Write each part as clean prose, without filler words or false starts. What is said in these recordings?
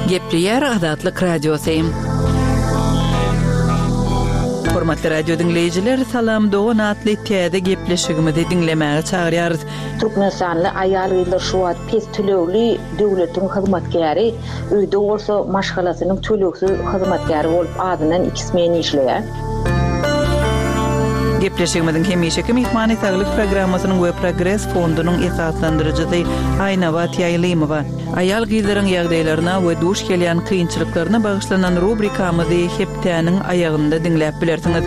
Gepleýär Azatlyk Radiosy. Hormatly radio diňleýjiler, Salam dogan atly täze gepleşigimizi diňlemäge çagyrýarys. Türkmenistanly aýal-gyzlar şu wagt pes tölegli döwletiň hyzmatkäri, öýde bolsa maşgalasynyň tölegsiz hyzmatkäri bolup azyndan iki smen işleýär. Gepleşigimiziň hemişeki myhmany Saglyk programmasynyň we Progres fondunyň esaslandyryjysy Aýnabat Ýaýlymowa. Aýal-gyzlaryň ýagdaýlaryna we duş gelýän kynçylyklaryna bagyşlanan rubrikamyzy hepdäniň aýagynda diňläp bilersiňiz.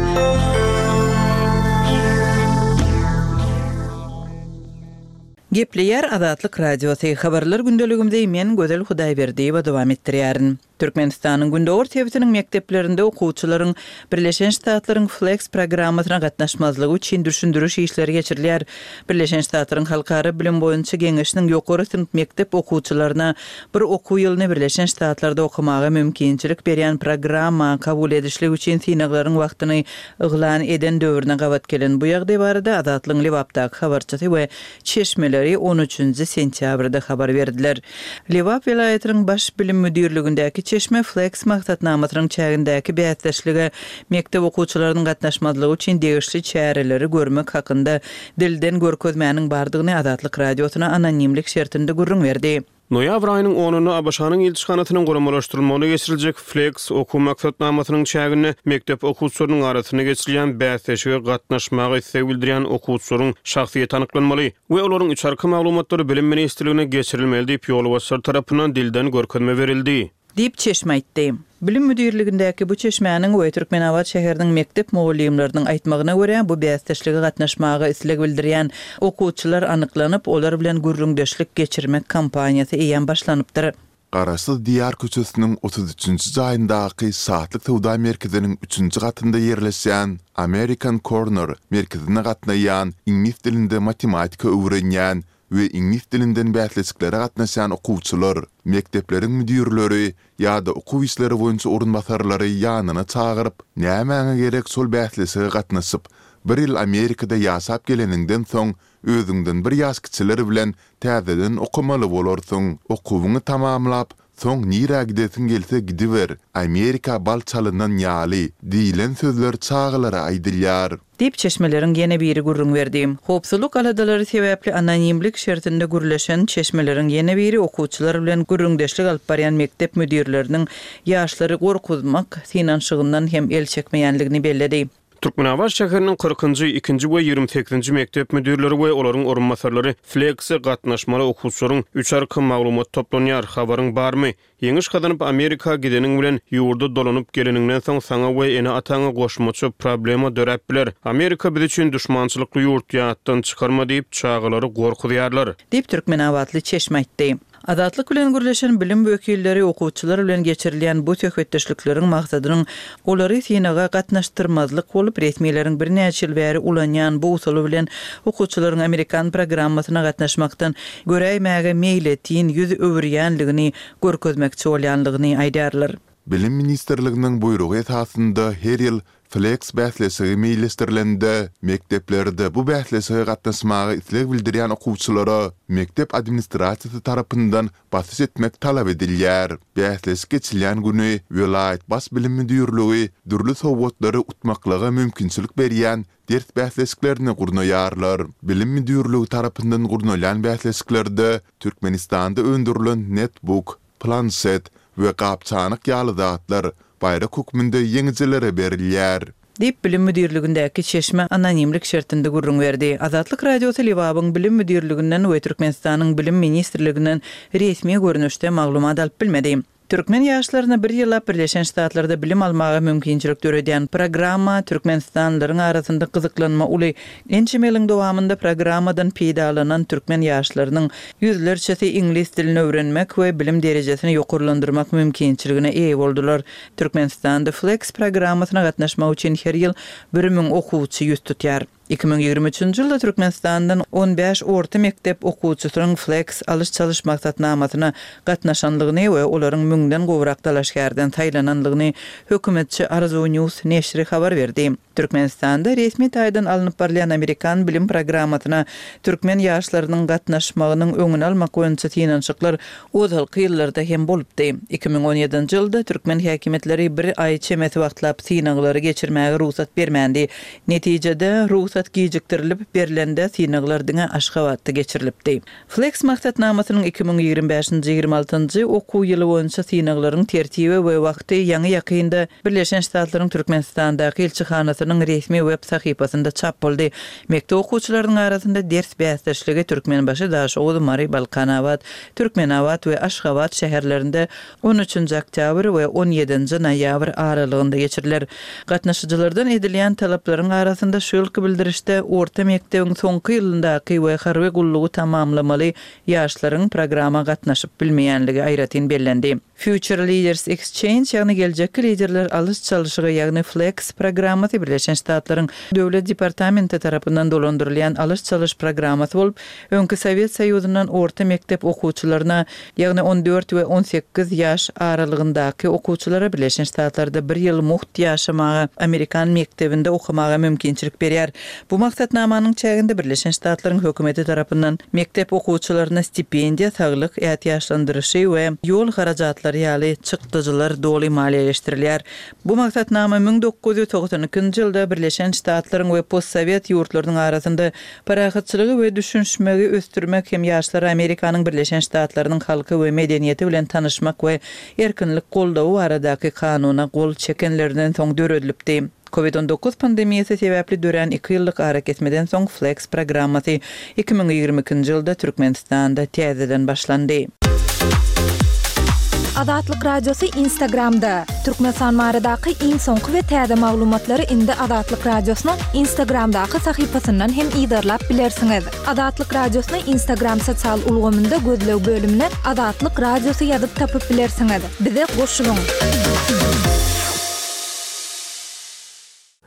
Gepleýär Azatlyk Radiosy, Habarlar gündeligimizi men Gözel Hudaýberdiýewa dowam etdirýärin. Türkmenistanyň gündogar sebitiniň mekdeplerinde okuwçylaryň Birleşen Ştatlaryň FLEX programmasyna gatnaşmazlygy üçin düşündiriş işleri geçirilýär. Birleşen Ştatlaryň Halkara bilim boýunça geňeşiniň ýokary synp mekdep okuwçylaryna bir okuw ýylyny Birleşen Ştatlarda okamaga mümkinçilik berýän programma kabul edişlik üçin synaglaryň wagtyny yglan eden döwrüne gabat gelen bu ýagdaý barada Azatlygyň Lebapdaky habarçysy we çeşmeleri on üçünji sentýabrda habar berdiler. Lebap welaýatynyň Baş bilim müdirligindäki Çeşme Flex maksatnamasynyň çägindäki bäsdeşlige mekdep okuwçylarynyň gatnaşmazlygy üçin degişli çäreleri görmek hakynda dilden görkezmäniň bardygyny Azatlyk Radiosyna anonimlik şertinde gürrüň berdi. Noýabr aýynyň onunda ABŞ-nyň ilçihanasynyň guramalaşdyrylmagynda geçiriljek Flex okuw maksatnamasynyň çäginde mekdep okuwçylarynyň arasynda geçirilýän bäsleşige gatnaşmaga isleg bildirýän okuwçylaryň şahsyýeti anyklanmaly we olaryň içarky maglumatlary Bilim ministrligine geçirilmeli diýip, ýolbaşçylar tarapyndan dilden görkezme berildi. Diýip, çeşme aýtdy. Bilim müdirligindäki bu çeşmäniň we Türkmenabat şäheriniň mekdep mugallymlarynyň aýtmagyna görä, bu bäsdeşlige gatnaşmaga isleg bildirýän okuwçylar anyklanyp, olar bilen gürrüňdeşlik geçirmek kampaniýasy eýýäm başlanypdyr. Garaşsyz Diýar köçesiniň 33-nji jaýyndaky Şatlyk söwda merkeziniň üçünji gatynda ýerleşýän American Corner merkezine gatnaýan, iňlis dilinde matematika öwrenýän we iňlis dilinden bäsleşiklere gatnaşýan okuwçylar, mekdepleriň müdirleri ýa-da okuw işleri boýunça orunbasarlary ýanyna çagyryp, Nämäňe gerek şol bäsleşige gatnaşyp, bir ýyl Amerikada ýaşap geleniňden soň özüňden bir ýaş kiçiler bilen täzeden okamaly bolarsyň. Okuwyňy tamamlap, soň nirä gidesiň gelse gidiber, Amerika bal çalynan ýaly diýlen sözler çagalara aýdylýar. Diýip, çeşmeleriň ýene biri gürrüň berdi. Howpsuzlyk aladalary sebäpli anonimlik şertinde gürleşen çeşmeleriň ýene biri okuwçylar bilen gürrüňdeşlik alyp barýan mekdep müdirleriniň ýaşlary gorkuzmak synanyşygyndan hem el çekmeýänligini belledi. Türkmenabat şäheriniň kyrkynjy, ikinji we 28-nji mekdep müdirleri we olaryň orunbasarlary Flex-e gatnaşmaly okuwçylaryň üç arka maglumat toplanýar, habaryň barmy? Ýeňiş gazanyp Amerika gideniň bilen ýurda dolanyp geleniňden soň saňa we ene-ataňa goşmaça problema döräp biler. Amerika biz üçin duşmançylykly ýurt ýatdan çykarma diýip çagalary gorkuzýarlar. Diýip, türkmenabatly çeşme aýtdy. Azatlyk bilen gürleşen bilim wekilleri okuwçylar bilen geçirilýän bu söhbetdeşlikleriň maksadynyň olary synaga gatnaşdyrmazlyk bolup, resmileriň birnäçe ýyl bäri ulanýan bu usuly bilen okuwçylaryň amerikan programmasyna gatnaşmakdan göräýmäge meýletin 100 öwürýänligini görkezmekçi bolýanlygyny aýdýarlar. Bilim ministrliginiň buýrugy esasynda her ýyl Flex bäsleşigi meýilleşdirilende, mekdeplerde bu bäsleşige gatnaşmaga isleg bildirýän okuwçylara mekdep administrasiýasy tarapyndan basyş etmek talap edilýär. Bäsleşik geçilýän güni welaýat Baş bilim müdirligi dürli sowgatlary utmaklyga mümkinçilik berýän ders bäsleşiklerini gurnaýarlar. Bilim müdirligi tarapyndan gurnalýan bäsleşiklerde Türkmenistanda öndürilen netbuk, planşet we gap-çanak ýaly zatlar baýrak hökmünde ýeňijilere berilýär. Diýip, bilim müdirligindäki çeşme anonimlik şertinde gürrüň berdi. Azatlyk Radiosy Lebabyň bilim müdirliginden we Türkmenistanyň Bilim ministrliginden resmi görnüşde maglumat alyp bilmedi. Türkmen ýaşlaryna bir ýyllap Birleşen Ştatlarda bilim almaga mümkinçilik döredýän programma türkmenistanlylaryň arasynda gyzyklanma uly. Ençeme ýylyň dowamynda programmadan peýdalanan türkmen ýaşlarynyň ýüzlerçesi iňlis dilini öwrenmek we bilim derejesini ýokarlandyrmak mümkinçiligine eýe boldular. Türkmenistanda FLEX programmasyna gatnaşmak üçin her ýyl 1000 okuwçy ýüz tutýar. 2023-nji ýylda Türkmenistandan 15 orta mekdep okuwçysynyň FLEX alyş-çalyş maksatnamasyna gatnaşanlygyny we olaryň müňden gowrak dalaşgärden saýlananlygyny hökümetçi Arzuw News neşiri habar berdi. Türkmenistanda resmi taýdan alnyp barylýan amerikan bilim programmasyna türkmen ýaşlarynyň gatnaşmagynyň öňüni almak boýunça synanyşyklar ozalky ýyllarda hem bolupdy. 2017-nji ýylda türkmen häkimiýetleri bir aý çemesi wagtlap synaglary geçirmäge rugsat bermändi. Netijede, rugsat gijikdirilip berlende synaglar diňe Aşgabatda geçirilipdi. Flex maksatnamasynyň 2025-nji, 26-njy okuw ýyly boýunça synaglaryň tertibi we wagty ýaňy-ýakynda Birleşen Ştatlaryň Türkmenistandaky ilçihanasynyň resmi web sahypasynda çap boldy. Mekdep okuwçylarynyň arasynda ders bäsdeşligi Türkmenbaşy, Daşoguz, Mary, Balkanabat, Türkmenabat we Aşgabat şäherlerinde on üçünji oktýabr we on ýedinji noýabr aralygynda geçiriler. Gatnaşyjylardan edilýän talaplaryň arasynda şu ýylky bildirişde orta mekdebiň soňky ýylyndaky we harby gullugy tamamlamaly ýaşlaryň programma gatnaşyp bilmeýänligi aýratyn bellendi. Future Leaders Exchange, ýagny Geljekki liderler alyş-çalşygy, ýagny FLEX programmasy Birleşen Ştatlaryň Döwlet departamenti tarapyndan dolandyrylýan alyş-çalyş programmasy bolup, öňki Sowet Soýuzyndan orta mekdep okuwçylaryna, ýagny on dört we on sekiz ýaş aralygyndaky okuwçylara Birleşen Ştatlarda bir ýyl mugt ýaşamaga, amerikan mekdebinde okamaga mümkinçilik berýär. Bu maksatnamanyň çäginde Birleşen Ştatlaryň hökümeti tarapyndan mekdep okuwçylaryna stipendiýa, saglyk ätiýaçlandyryşy we ýol harajatlary ýaly çykdajylar doly maliýeleşdirilýär. Bu maksatnama 1992-nji ýylda Birleşen Ştatlaryň we postsowet ýurtlarynyň arasynda Parahatçylygy we düşünişmegi ösdürmek hem ýaşlara Amerikanyň Birleşen Ştatlarynyň halky we medeniýeti bilen tanyşmak we erkinlik goldawy baradaky kanuna gol çekenlerinden soň döredilipdi. Covid 19 pandemiýasy sebäpli dörän iki ýyllyk arakesmeden soň Flex programmasy 2022-nji ýylda Türkmenistanda täzeden başlandy. Azatlyk Radiosy Instagramda, Türkmenistan baradaky iň soňky we täze maglumatlary indi Azatlyk Radiosynyň Instagramdaky sahypasyndan hem yzarlap bilersiňiz. Azatlyk Radiosyny Instagram sosial ulgamynda gözleg bölümine Azatlyk Radiosy ýazyp tapyp bilersiňiz. Bize goşulyň!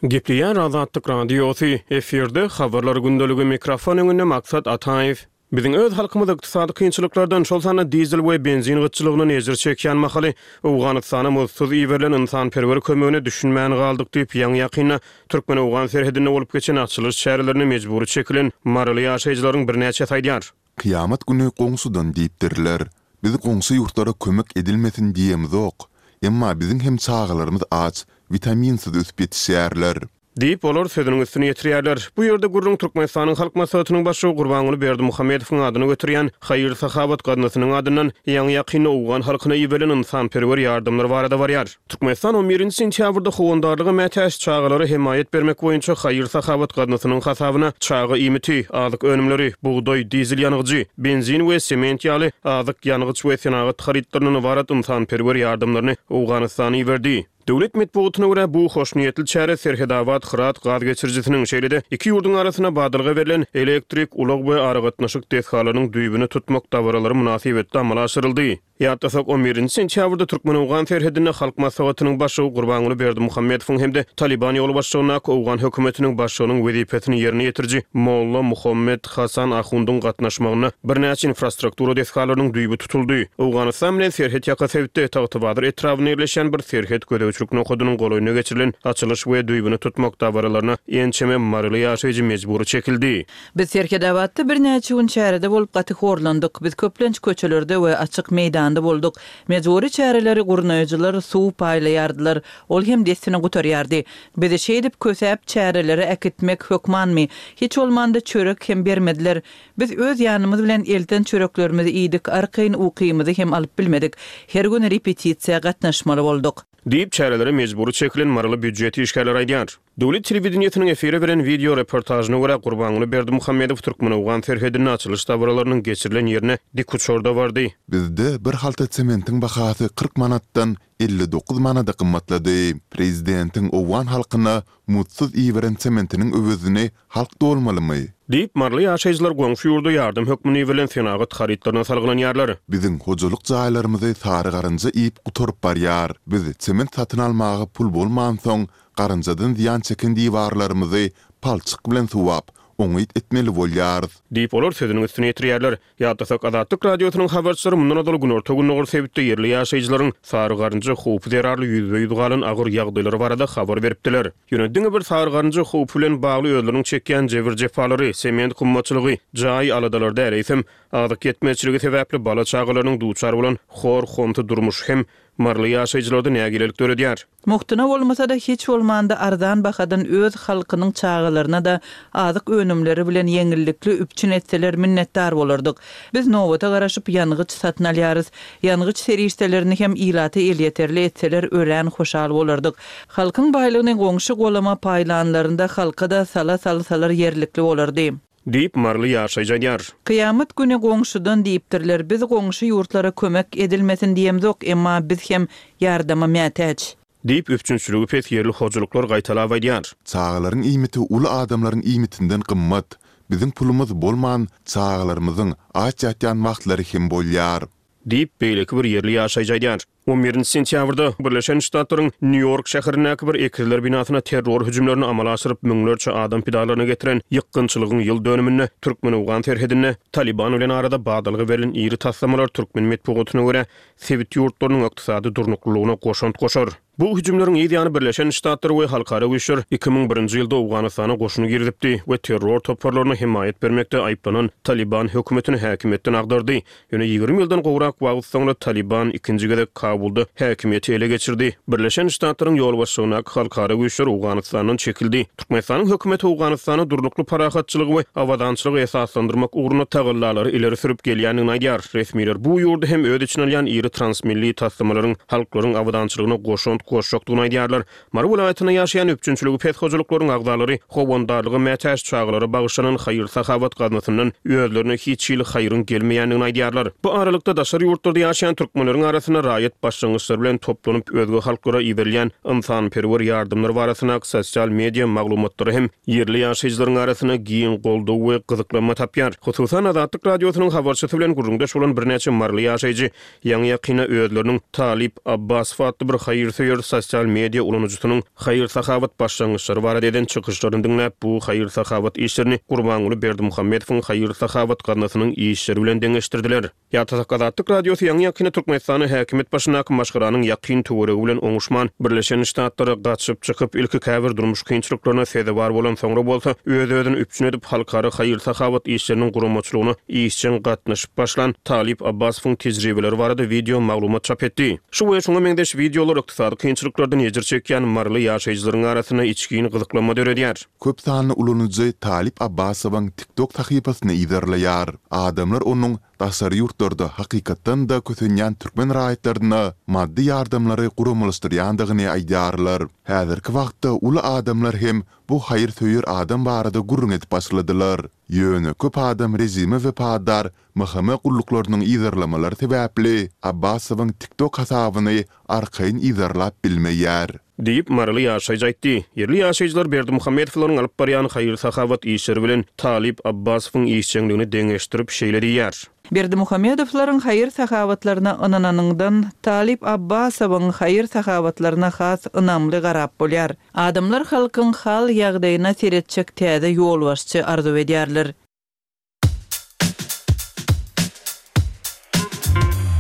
Gepleýär Azatlyk Radiosy, efirde Habarlar gündeligi, mikrofon öňünde Maksat Ataýew. Biziň öz halkymyz ykdysady kynçylyklardan, şol sanda dizel we benzin gytçylygyndan ejir çekýän mahaly, Owganystana muzdsuz iberilen ynsanperwer kömegine düşünmän galdyk diýip, ýaňy-ýakynda türkmen-owgan serhedinde bolup geçen açylyş çärelerine mejbury çekilen maryly ýaşaýjylaryň birnäçesi aýdýar. Kyýamat güni goňşudan diýipdirler. Biz goňşy ýurtlara kömek edilmesin diýemzok. Emma biziň hem çagalarymyz aç, witaminsiz ösüp ýetişýärler. Diýip, olar sözüniň üstüni ýetirýärler. Bu ýerde gürrüň Türkmenistanyň Halk Maslahatynyň Başlygy Gurbanguly Berdimuhamedowyň adyny göterýän haýyr-sahawat gaznasynyň adyndan ýaňy-ýakynda owgan halkyna iberilen ynsanperwer ýardamlar barada barýar. Türkmenistan on birinji sentýabrda howandarlyga mätäç çagalara hemaýat bermek boýunça haýyr-sahawat gaznasynyň hasabyna çaga iýmiti, azyk önümleri, bugdaý, dizel ýangyjy, benzin we sement ýaly azyk, ýangyç we senagat harytlaryndan ybarat ynsanperwer ýardamlaryny Owganystana iberdi. Döwlet metbugatyna görä, bu hoşniýetli çäre Serhetabat-Hyrat gaz geçirijisiniň, şeýle-de iki ýurduň arasynda badalga berlen elektrik, ulag we aragatnaşyk desgalarynyň düýbüni tutmak dabaralary mynasybetli amala aşyryldy. Ýatlasak, on birinji sentýabrda türkmen-owgan serhedinde Halk Maslahatynyň Başlygy Gurbanguly Berdimuhamedowyň hem-de Talyban ýolbaşçylygyndaky owgan hökümetiniň başlygynyň wezipesini ýerine ýetiriji Molla Muhammet Hasan Ahundyň gatnaşmagynda birnäçe infrastruktura desgalarynyň düýbi tutuldy. Owganystan bilen serhet ýaka sebitde, Tagtabazar etrabynda ýerleşýän bir serhet gözegçilik nokadynyň golaýynda geçirilen açylyş we düýbüni tutmak dabaralaryna ençeme maryly ýaşaýjy mejbury çekildi. Biz Serhetabatda birnäçe gün çärede bolup gaty horlandyk. Biz köplenç köçelerde we açyk meýdanda bolduk. Mejbury çäreleri gurnaýjylar suw paýlaýardylar. Ol hem dessine gutarýardy. Bizi şeýdip kösäp çärelere äkitmek hökmanmy? Hiç bolmanda çörek hem bermediler. Biz öz ýanymyz bilen elten çöreklerimizi iýdik, arkaýyn ukymyzy hem alyp bilmedik. Her gün repetisiýa gatnaşmaly bolduk. Diýip, çärelere mejbury çekilen maryly býujet işgärleri aýdýar. Döwlet telewideniýesiniň efire beren wideo reportažyna görä, Gurbanguly Berdimuhamedow türkmen-owgan serhedinde açylyş dabaralarynyň geçirilen ýerine dikuçarda bardy. Bizde bir halta sementiň bahasy 40 manatdan 59 manada gymmatlady. Prezidentiň owgan halkyna muzdsuz iberen sementiniň öwezini halk dolmalymy? Diýip, maryly ýaşaýjylar goňşy ýurda ýardam hökmünde iberilen senagat harytlaryna salgylanýarlar. Biziň hojalyk jaýlarymyzy sary garynja iýip gutaryp barýar. Biz sement satyn almaga pul bolmansoň, garynjadan zyýan çeken diwarlarymyzy palçyk bilen suwap, Oňňut etmeli bolýarys. Diýip, olar sözüniň üstüni ýetirýärler. Ýatlasak, Azatlyk Radiosynyň habarçylary mundan ozal günorta-gündogar sebitde ýerli ýaşaýjylaryň sary garynja howpy zerarly ýüzbe-ýüz galan agyr ýagdaýlary barada habar beripdiler. Ýöne diňe bir sary garynja howpy bilen bagly özleriniň çekýän jebir-jepalary, sement gymmatçylygy, jaý aladalary däl, eýsem, azyk ýetmezçiligi sebäpli bala-çagalarynyň duçar bolan hor-homsy durmuşy hem maryly ýaşaýjylarda nägilelik döredýär. Mugtuna bolmasa-da, hiç bolmanda arzan bahadan öz halkynyň çagalaryna-da azyk önümleri bilen ýeňillikli üpjün etseler minnetdar bolardyk. Biz nobata garaşyp ýangyç satyn alýarys. Ýangyç serişdelerini hem ilata elýeterli etseler örän hoşal bolardyk. Halkyň baýlygyny goňşy-golama paýlanlarynda halka-da sala salsalar ýerlikli bolardy. Diýip, maryly ýaşaýjy aýdýar. Kyýamat güni goňşudan diýipdirler, biz goňşy ýurtlara kömek edilmesin diýemzok, emma biz hem ýardama mätäç. Diýip, üpjünçiligi pes ýerli hojalyklar gaýtalap aýdýar. Çagalaryň iýmiti uly adamlaryň iýmitinden gymmat. Biziň pulumyz bolman, çagalarymyzyň aç ýatýan wagtlary hem bolýar. Diýip, beýleki bir ýerli ýaşaýjy aýdýar. On birinji sentýabrda Birleşen Ştatlaryň Nýu-Ýork şäherindäki bir ekizler binasyna terror hüjümlerini amala aşyryp, müňlerçe adam pidalaryna getiren ýykgynçylygyň ýyl dönüminde türkmen-owgan serhedinde Talyban bilen arada badalga berlen iri taslamalar türkmen metbugatyna görä, sebit ýurtlarynyň ykdysady durnuklylygyna goşant goşar. Bu hüjümleriň yz ýany Birleşen Ştatlar we halkara güýçler 2001-nji ýylda Owganystana goşun girizipdi we terror toparlaryna hemaýat bermekde aýyplanan Talyban hökümetini häkimiýetden agdardy. Ýöne 20 ýyldan gowrak wagt soňra Talyban ikinji gezek Kabulda häkimiýeti ele geçirdi. Birleşen Ştatlaryň ýolbaşçylygyndaky halkara güýçler Owganystandan çekildi. Türkmenistanyň hökümeti Owganystanda durnukly parahatçylygy we abadançylygy esaslandyrmak ugrunda tagallalary ileri sürüp gelýändigini aýdýar. Resmiler bu ýurdy hem öz içine alýan iri transmilli taslamalaryň halklaryň abadançylygyna goşant goşjakdygyny aýdýarlar. Mary welaýatynda ýaşaýan üpjünçiligi pes hojalyklaryň agzalary howandarlyga mätäç çagalara bagyşlanan haýyr-sahawat gaznasyndan özlerine hiç hili haýryň gelmeýändigini aýdýarlar. Bu aralykda, daşary ýurtlarda ýaşaýan türkmenleriň arasynda raýat başlangyçlary bilen toplanyp özge halklara iberilýän ynsanperwer ýardamlar barasyndaky sosial media maglumatlary hem ýerli ýaşaýjylaryň arasynda giň goldaw we gyzyklanma tapýar. Hususan, Azatlyk Radiosynyň habarçysy bilen gürrüňdeş bolan birnäçe maryly ýaşaýjy Ýaňy-ýakynda özleriniň Talyp Abbasow atly bir haýyrsöýer sosial media ulanyjysynyň haýyr-sahawat başlangyçlary barada eden çykyşlaryny diňläp, bu haýyr-sahawat işlerini Gurbanguly Berdimuhamedowyň haýyr-sahawat gaznasynyň işleri bilen deňeşdirdiler. Ýatlasak, Azatlyk Radiosy ýaňy-ýakynda Türkmenistanda häkimiýet başyndaky maşgalanyň ýakyn töweregi bilen oňuşman, Birleşen Ştatlara gaçyp çykyp, ilki käbir durmuş kynçylyklaryna sezewar bolan, soňra bolsa öz-özüni üpjün edip, halkara haýyr-sahawat işleriniň guramaçylygyna işjeň gatnaşyp başlan Talyp Abbasowyň tejribeleri barada wideo maglumat çap etdi. Şu we şuňa meňzeş wideolar ykdysady kynçylyklardan ejir çekýän maryly ýaşaýjylaryň arasynda içgin gyzyklanma döredýär. Köp sanly ulanyjy Talyp Abbasowyň TikTok sahypasyny yzarlaýar. Adamlar onuň daşary ýurtlarda hakykatdan-da kösenýän türkmen raýatlaryna maddy ýardamlary guramalaşdyrýandygyny aýdýarlar. Häzirki wagtda uly adamlar hem bu haýyrsöýer adam barada gürrüň edip başladylar. Ýöne köp adam režime wepadar MHM gulluklarynyň yzarlamalary sebäpli Abbasowyň TikTok hasabyny arkaýyn yzarlap bilmeýär. Diýip, maryly ýaşaýjy aýtdy. Ýerli ýaşaýjylar Berdimuhamedowlaryň alyp barýan haýyr-sahawat işleri bilen Talyp Abbasowyň işjeňligini deňeşdirip, şeýle diýýär. Berdimuhamedowlaryň haýyr-sahawatlaryna ynananyňdan, Talyp Abbasowyň haýyr-sahawatlaryna has ynamly garap bolýar. Adamlar halkyň hal-ýagdaýyna seretjek täze ýolbaşçy arzuw edýärler.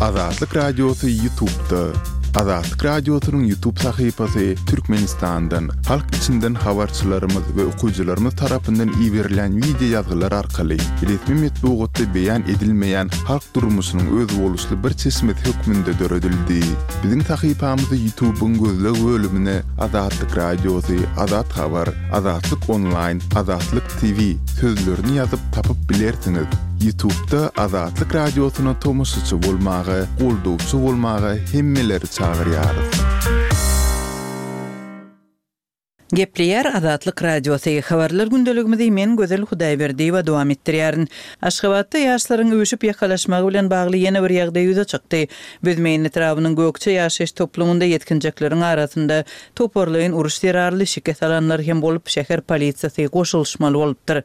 Azatlyk Radiosy Ýutubda. Azatlyk Radiosynyň Ýutub sahypasy Türkmenistandan, halk içinden habarçylarymyz we okyjylarymyz tarapyndan iberilýän wideo ýazgylar arkaly resmi metbugatda beýan edilmeýän halk durmuşynyň özboluşly bir çeşmesi hökmünde döredildi. Biziň sahypamyzy Ýutubyň gözleg bölümine Azatlyk Radiosy, Azat Habar, Azatlyk Onlaýn, Azatlyk TV sözlerini ýazyp tapyp bilersiňiz. Ýutubda Azatlyk Radiosyna tomaşaçy bolmaga, goldawçy bolmaga hemmeleri çagyrýarys. Gepleýär Azatlyk Radiosy, Habarlar gündeligimizi men Gözel Hudaýberdiýewa dowam etdirýärin. Aşgabatda ýaşlaryň üýşüp ýakalaşmagy bilen bagly ýene bir ýagdaý ýüze çykdy. Büzmeýin etrabynyň Gökje ýaşaýyş toplumynda ýetginjekleriň arasynda toparlaýyn uruş zerarly şikes alanlar hem bolup, şäher polisiýasy goşulyşmaly bolupdyr.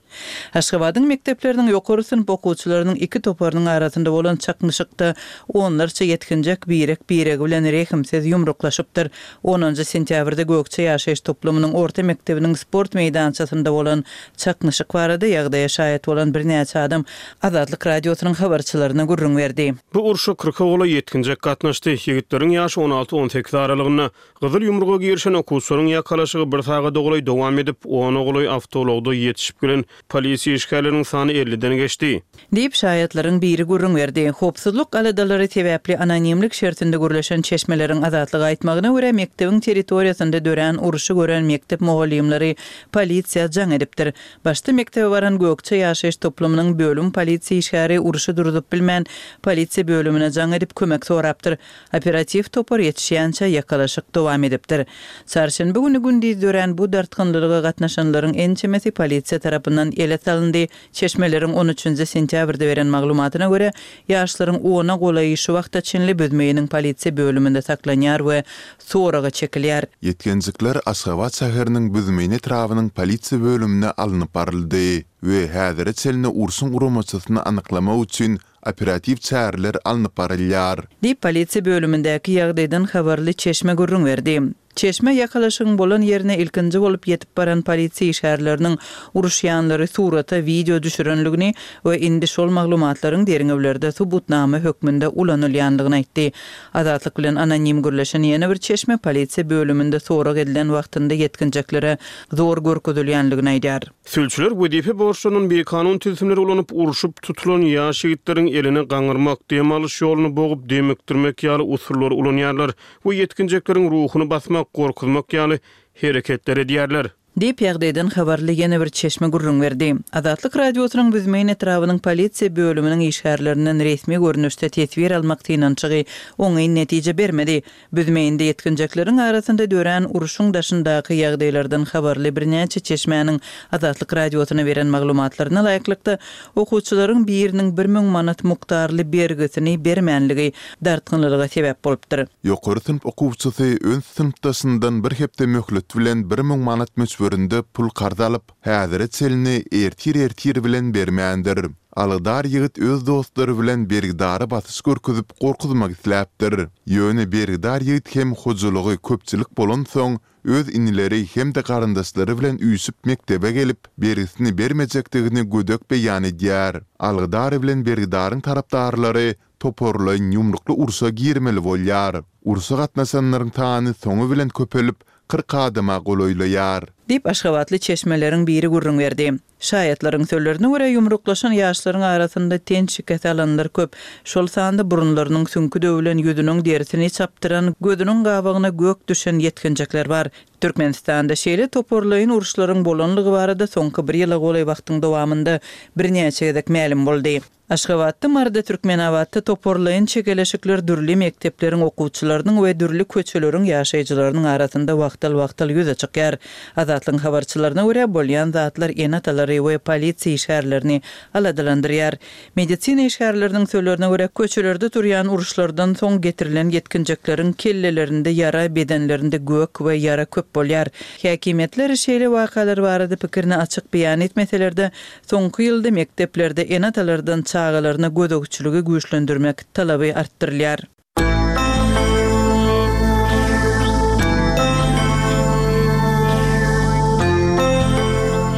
Aşgabadyň mekdepleriniň ýokary synp okuwçylarynyň iki toparynyň arasynda bolan çaknyşykda onlarça ýetginjek birek-biregi bilen rehimsiz ýumruklaşypdyr. Onunjy sentýabrda Gökje ýaşaýyş toplumynyň. etrabynyň orta mekdebiniň sport meýdançasynda bolan çaknyşyk barada ýagdaýa şaýat bolan birnäçe adam Azatlyk Radiosynyň habarçylaryna gürrüň berdi. Bu urşa kyrka golaý ýetginjek gatnaşdy. Ýigitleriň ýaşy on alty-on sekiz aralygynda. Gyzyl ýumruga girişen okuwçylaryň ýakalaşygy bir sagada golaý dowam edip, ona golaý awtoulagda ýetişip gelen polisiýa işgärleriniň sany elliden geçdi. Diýip, şaýatlaryň biri gürrüň berdi. Howpsuzlyk aladalary sebäpli anonimlik şertinde gürleşen çeşmeleriň Azatlyga aýtmagyna görä, mekdebiň territoriýasynda dörän urşy gören mekdep mugallymlary polisiýa jaň edipdir. Başda mekdebe baran Gökje ýaşaýyş toplumynyň bölüm polisiýa işgäri urşy durzup bilmän, polisiýa bölümine jaň edip kömek sorapdyr. Operatiw topar ýetişýänçä ýakalaşyk dowam edipdir. Çarşenbe güni gündiz dörän bu dartgynlylyga gatnaşanlaryň ençemesi polisiýa tarapyndan ele salyndy. Çeşmeleriň on üçünji sentýabrda beren maglumatyna görä, ýaşlaryň ona golaýy şu wagta çenli Büzmeýiniň polisiýa bölüminde saklanýar we soraga çekilýär. Ýetginjekler Aşgabat şäheriniň Büzmeýin etrabynyň polisiýa bölümine alnyp baryldy we häzire çenli urşuň guramaçysyny anyklamak üçin operatiw çäreler alnyp barylýar. Diýip, polisiýa bölümindäki ýagdaýdan habarly çeşme gürrüň berdi. Çeşme ýakalaşygyň bolan ýerine ilkinji bolup ýetip baran polisiýa işgärleriniň uruşýanlary surata, wideo düşürenligini we indi şol maglumatlaryň derňewlerde subutnama hökmünde ulanylýanlygyny aýtdy. Azatlyk bilen anonim gürleşen ýene bir çeşme polisiýa bölüminde sorag edilen wagtynda ýetginjeklere zor görkezilýänligini aýdýar. Sülçüler wezipe borçlaryndan bikanun tilsimleri ulanyp, urşup tutulan ýaş ýigitleriň elini gaňyrmak, dem alyş ýoluny bogup, demikdirmek ýaly usullary ulanýarlar we ýetginjekleriň ruhuny basmak, gorkuzmak ýaly hereketleri edýärler. Diýip, ýagdaýdan habarly ýene bir çeşme gürrüň berdi. Azatlyk Radiosynyň Büzmeýin etrabynyň polisiýa bölüminiň işgärlerinden resmi görnüşde teswir almak synanyşygy oňyn netije bermedi. Büzmeýinde ýetginjekleriň arasynda dörän urşuň daşyndaky ýagdaýlardan habarly birnäçe çeşmäniň Azatlyk Radiosyna beren maglumatlaryna laýyklykda, okuwçylaryň biriniň 1000 manat mukdarly bergisini bermänligi dartgynlylyga sebäp bolupdyr. Ýokary synp okuwçysy öz synpdaşyndan bir hepde möhlet bilen 1000 manat möçberinde pul karz alyp, häzire çenli ertir-ertir bilen bermändir. Alydar ýigit öz dostlary bilen bergidara basyş görkezip gorkuzmak isläpdir. Ýöne bergidar ýigit hem hojalygy köpçülik bolansoň, öz inileri hem-de garyndaşlary bilen üýşüp mekdebe gelip, bergisini bermejekdigini gödek beýan edýär. Alydar bilen bergidaryň tarapdarlary toparlaýyn ýumrukly urşa girmeli bolýar. Urşa gatnaşanlaryň sany soňy bilen köpelip, 40 adama golaýlaýar. Diýip, aşgabatly çeşmeleriň biri gürrüň berdi. Şaýatlaryň sözlerine görä, ýumruklaşan ýaşlaryň arasynda ten şikesi alanlar köp, şol sanda burunlarynyň süňki döwlen, ýüzüniň derisini çapdyran, gözüniň gabagyna gök düşen ýetginjekler bar. Türkmenistanda şeýle toparlaýyn uruşlaryň bolanlygy barada soňky bir ýyla golaý wagtyň dowamynda birnäçe gezek mälim boldy. Aşgabatda, Maryda, Türkmenabatda toparlaýyn çekeleşikler dürli mekdepleriň okuwçylarynyň we dürli köçeleriň ýaşaýjylarynyň arasynda wagtal-wagtal ýüze çykýar. Azatlygyň habarçylaryna görä, bolýan zatlar ene-atalary we polisiýa işgärlerini aladalandyrýar. Medisina işgärleriniň sözlerine görä, köçelerde turýan uruşlardan soň getirilen ýetginjekleriň kellelerinde ýara, bedenlerinde gök we ýara köp bolýar. Häkimiýetler şeýle wakalar barada pikirini açyk beýan etmeseler-de, Soňky ýylda mekdeplerde ene-atalardan çagalaryna gözegçiligi güýçlendirmek talaby artdyrylýar.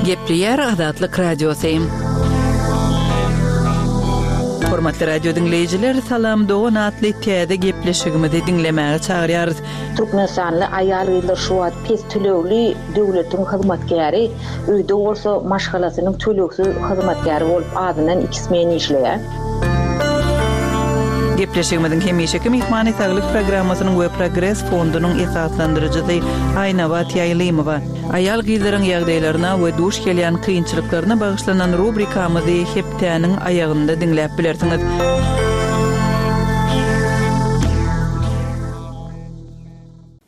Gepleýär Azatlyk Radiosy. Hormatly radio diňleýjiler, Salam dogan atly täze gepleşigimizi diňlemäge çagyrýarys. Türkmenistanly aýal-gyzlar şu wagt pes tölegli döwletiň hyzmatkäri, Öýde bolsa maşgalasynyň tölegsiz hyzmatkäri bolup azyndan iki smen işleýär. Gepleşigimiziň hemişeki myhmany Saglyk programmasynyň we Progres fondunyň esaslandyryjysy Aýnabat Ýaýlymowa. Aýal-gyzlaryň ýagdaýlaryna we duş gelýän kynçylyklaryna bagyşlanan rubrikamyzy hepdäniň aýagynda diňläp bilersiňiz.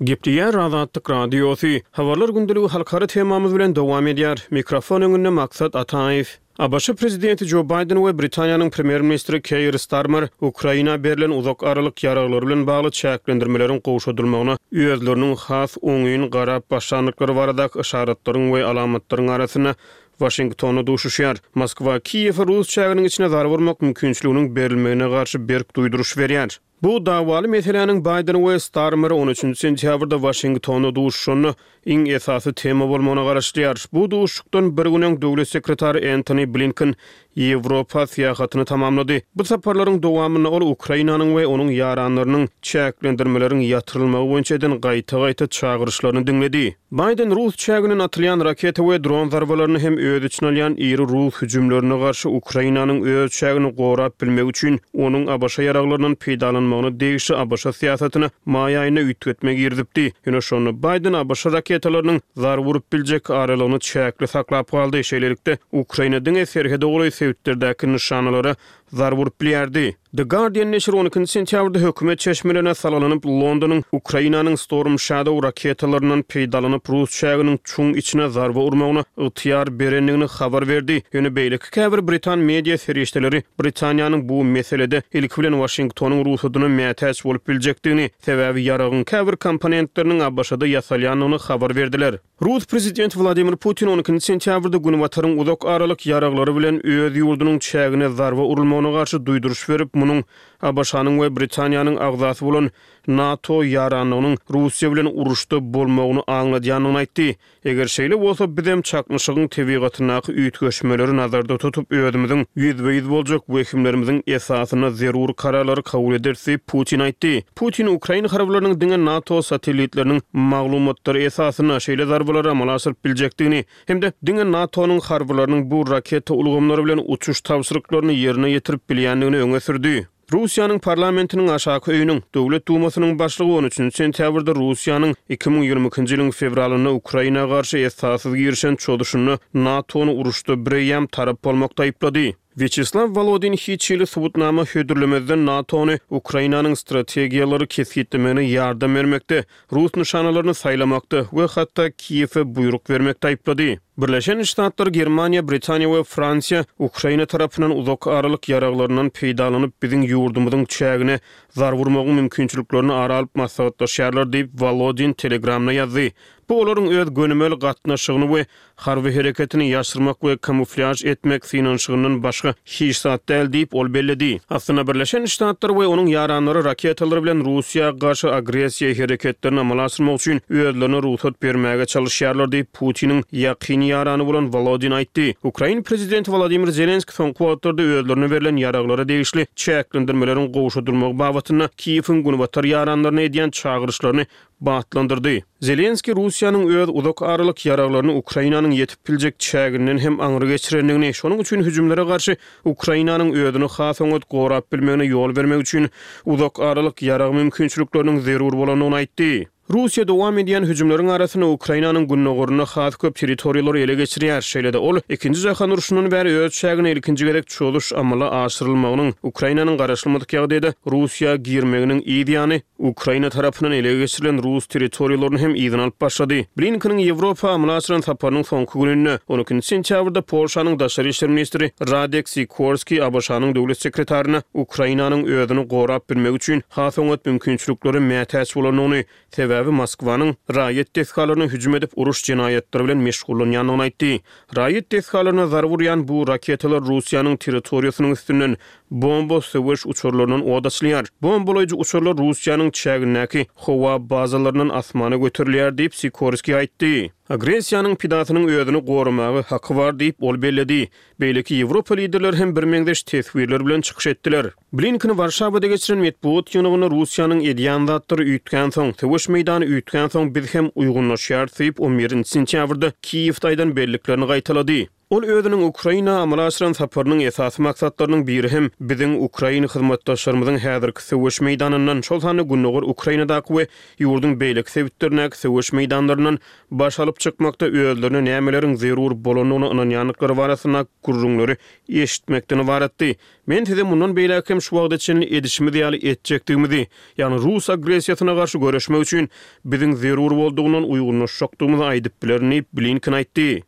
Gepleýär Azatlyk Radiosy. Habarlar gündeligi halkara temamyz bilen dowam edýär. Mikrofon öňünde Maksat Ataýew. ABŞ prezidenti Jo Baýden we Britaniýanyň premýer-ministri Keir Starmer Ukraina berlen uzak aralyk ýaraglary bilen bagly çäklendirmeleriň gowşadylmagyna özleriniň has oňyn garap başlandyklary baradaky yşaratlaryň we alamatlaryň arasynda Waşingtonda duşuşýar. Moskwa Kiýewe rus çäginiň içine zarba urmak mümkinçiliginiň berilmegine garşy berk duýduryş berýär. Bu dawaly meseläniň Baýden we Starmer on üçünji sentýabrda Waşingtonda duşuşanda iň esasy tema bolmagyna garaşylýar. Bu duşuşykdan bir gün öň döwlet sekretary Entoni Blinken Ýewropa syýahatyny tamamlady. Bu saparlaryň dowamynda ol Ukrainanyň we onuň ýaranlarynyň çäklendirmeleriň ýatyrylmagy boýunça eden gaýta-gaýta çagyryşlaryny diňledi. Baýden rus çäginden atylýan raketa we dron zarbalaryny hem öz içine alýan iri rus hüjümlerine garşy Ukrainanyň öz çägini gorap bilmegi üçin onuň ABŞ ýaraglaryndan peýdalanmagyna degişli ABŞ syýasatyna maý aýynda üýtgetme girizipdi. Ýöne şonda Baýden ABŞ raketalarynyň zarba urup biljek aralygyny çäkli saklap galdy. Şeýlelikde, Ukraina diňe serhede golaý sebitlerdäki nyşanalara zarba urup bilýärdi. The Guardian neşiri on ikinji sentýabrda hökümet çeşmelerine salgylanyp, Londonyň Ukrainanyň Storm Shadow raketalaryndan peýdalanyp, rus çäginiň çuň içine zarba urmagyna ygtyýar berendigini habar berdi. Ýöne beýleki käbir britan media serişdeleri Britaniýanyň bu meselede ilki bilen Waşingtonyň rugsadyna mätäç bolup biljekdigini, sebäbi ýaragyň käbir komponentleriniň ABŞ-da ýasalýandygyny habar berdiler. Rus prezidenti Wladimir Putin on ikinji sentýabrda Günbataryň uzak aralyk ýaraglary bilen öz ýurdunyň çägine zarba urulmagyna garşy duýduryş berip, munuň ABŞ-nyň we Britaniýanyň agzasy bolan NATO ýaranlygynyň Russiýa bilen uruşda bolmagyny aňladýandygyny aýtdy. Eger şeýle bolsa, bizem çaknyşygyň tebigatyndaky üýtgeşmeleri nazarda tutup, özümiziň ýüzbe-ýüz boljak wehimlerimiziň esasynda zerur kararlary kabul ederis diýip, Putin aýtdy. Putin ukrain harbylarynyň diňe NATO satellitleriniň maglumatlary esasynda şeýle zarbalary amala aşyryp biljekdigini hem-de diňe NATO-nyň harbylarynyň bu raketa ulgamlary bilen uçuş tabşyryklaryny ýerine ýetirip bilýändigini öňe sürdi. Russiýanyň parlamentiniň aşaky öýüniň, Döwlet Dumasynyň başlygy on üçünji sentýabrda Russiýanyň 2022-nji ýylyň fewralynda Ukraina garşy esassyz girişen çozuşynda NATO-ny uruşda bireýýäm tarap bolmakda aýyplady. Wýaçeslaw Wolodin hiç hili subutnama hödürlemezden NATO-ny Ukrainanyň strategiýalary kesgitlemegine ýardam bermekde, rus nyşanalaryny saýlamakda we hatda Kiýewe buýruk bermekde aýyplady. Birleşen Ştatlar, Germaniýa, Britaniýa we Fransiýa Ukraina tarapyndan uzak aralyk ýaraglaryndan peýdalanyp biziň ýurdumyzyň çägine zarba urmagyň mümkinçiliklerini ara alyp maslahatlaşýarlar diýip, Wolodin Telegramda ýazdy. Bu olaryň öz gönümel gatnaşygyny we Harby hereketini ýaşyrmak we kamuflýaž etmek synanyşygyndan başga hiç zat däl diýip, ol belledi. Aslynda Birleşen Ştatlar we onuň ýaranlary raketalar bilen Russiýa garşy agressiýa hereketlerini amala aşyrmak üçin özlerine rugsat bermäge çalyşýarlar diýip, Putiniň ýakyn ýarany bolan Wolodin aýtdy. Ukrain prezidenti Wolodymyr Zelenskiý soňky wagtlarda özlerine berlen ýaraglara degişli çäklendirmeleriň gowşadylmagy babatynda Kiýewiň günbatar ýaranlaryna edýän çagyryşlaryny batlandyrdy. Zelenskiý Russiýanyň öz uzak aralyk ýaraglaryny Ukrainanyň ýetip biljek çäginden hem aňry geçirendigini, şonuň üçin hüjümlere garşy Ukrainanyň özüni has oňat gorap bilmegine ýol bermek üçin uzak aralyk ýarag mümkinçilikleriniň zerur bolandygyny aýtdy. Russiýa dowam edýän hüjümleriň arasynda Ukrainanyň gündogarynda has köp territoriýalary ele geçirýär. Şeýle-de ol Ikinji jahan urşundan bäri öz çägine ilkinji gezek çozuş amala aşyrylmagynyň, Ukrainanyň garaşylmadyk ýagdaýda Russiýa girmeginiň yz ýany, Ukraina tarapyndan ele geçirilen rus territoriýalaryny hem yzyna alyp başlady. Blinkeniň Ýewropa amala aşyran saparynyň soňky gününde, on ikinji sentýabrda Polşanyň daşary işler ministri Radek Sikorskiý ABŞ-nyň döwlet sekretaryna Ukrainanyň özüni gorap bilmegi üçin has oňat mümkinçiliklere mätäç bolandygyny, sebäbi Moskwanyň raýat desgalaryna hüjüm edip uruş jenaýatlary bilen meşgullanýandygyny aýtdy. Raýat desgalaryna zarba urýan bu raketalar Russiýanyň territoriýasynyň üstünden bomba söweş uçarlaryndan ot açylýar. Bombalaýjy uçarlar Russiýanyň çägindäki howa bazalaryndan asmana göterilýär diýip, Sikorskiý aýtdy. Agressiýanyň pidasynyň özüni goramaga haky bar diýip, ol belledi. Beýleki ýewropa liderleri hem birmeňzeş teswirler bilen çykyş etdiler. Blinken Warşawada geçiren metbugat ýygnagynda Russiýanyň edýän zatlary üýtgänsoň, söweş meýdany üýtgänsoň biz hem uýgunlaşýarys diýip, on birinji sentýabrda Kiýewde aýdan belliklerini gaýtalady. Ol özüniň Ukraina amala aşyran saparynyň esasy maksatlarynyň biri hem biziň ukrain hyzmatdaşlarymyzyň häzirki söweş meýdanyndan, şol sanda gündogar Ukrainadaky we ýurduň beýleki sebitlerindäki söweş meýdanlaryndan baş alyp çykmakda özlerine nämeleriň zerur bolandygyna ynanýandyklary barasynda gürrüňleri eşitmekden ybaratdy. Men size mundan beýläk hem şu wagta çenli edişimiz ýaly etjekdigimizi, ýagny rus agressiýasyna garşy göreşmek üçin biziň zerur boldugyndan uýgunlaşjakdygymyzy aýdyp bilerin diýip, Blinken aýtdy.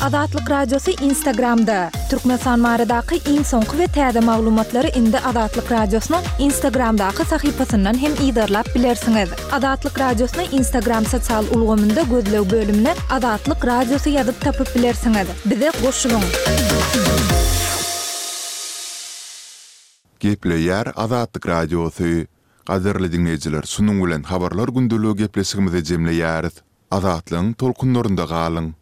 Azatlyk Radiosy Instagramda, Türkmenistan baradaky iň soňky we täze maglumatlary indi Azatlyk Radiosynyň Instagramdaky sahypasyndan hem yzarlap bilersiňiz. Azatlyk Radiosyny Instagram sosial ulgamynda gözleg bölümine Azatlyk Radiosy ýazyp tapyp bilersiňiz. Bize goşulyň! Gepleýär Azatlyk Radiosy. Gadyrly diňleýjiler, şunuň bilen Habarlar gündeligi gepleşigimizi jemleýäris. Azatlygyň tolkunlarynda galyň!